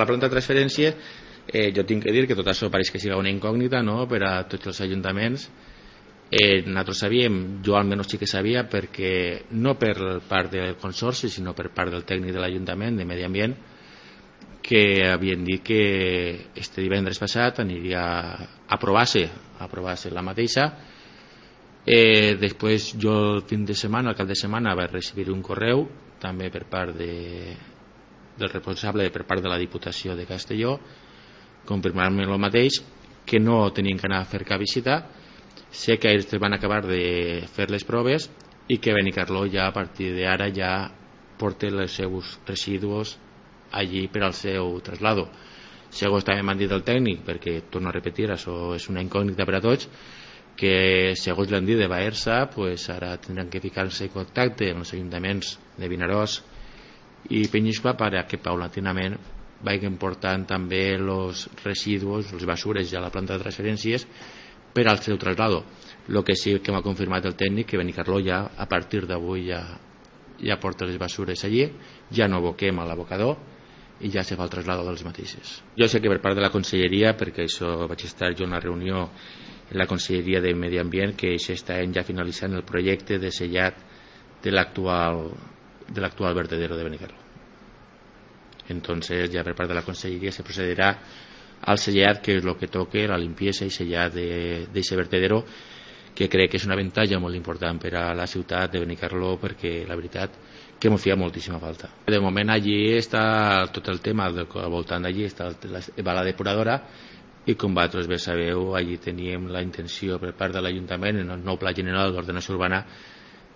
la planta de transferència, jo tinc que dir que tot això pareix que sigui una incògnita, no?, per a tots els ajuntaments. Nosaltres sabíem, jo almenys sí que sabia, perquè no per part del consorci sinó per part del tècnic de l'Ajuntament de Medi Ambient, que havien dit que este divendres passat aniria a aprovar-se la mateixa. Després jo el fin de setmana, al cap de setmana, vaig recibir un correu també per part del responsable per part de la Diputació de Castelló, confirmant-me el mateix, que no tenien que anar a fer cap visita. Sé que ells van acabar de fer les proves i que Benicarló ja a partir d'ara ja porta els seus residus allí per al seu traslado. Segons també m'han dit el tècnic, perquè torno a repetir, això és una incògnita per a tots, que segons l'han dit de Baersa, pues ara tindran que ficar-se en contacte amb els ajuntaments de Vinaròs i Penyiscola perquè paulatinament vagin portant també els residus, les basures ja a la planta de transferències per al seu traslado. El que sí que m'ha confirmat el tècnic que Benicarló ja a partir d'avui ja porta les basures allí, ja no aboquem a l'abocador i ja se fa el traslado dels mateixes. Jo sé que per part de la conselleria, perquè això vaig estar jo en la reunió en la conselleria de Medi Ambient, que s'està ja finalitzant el projecte de sellat de l'actual vertedero de Benicarló. Entonces ya per part de la conselleria se procederà al sellat, que és el que toque, la limpieza i sellat d'aquest vertedero, que crec que és un avantatge molt important per a la ciutat de Benicarló, perquè la veritat que m'ho feia moltíssima falta. De moment allí està tot el tema, al voltant d'allí va la depuradora, i com vosaltres bé sabeu, allí teníem la intenció per part de l'Ajuntament en el nou Pla General d'Ordenació Urbana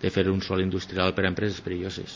de fer un sòl industrial per a empreses perilloses.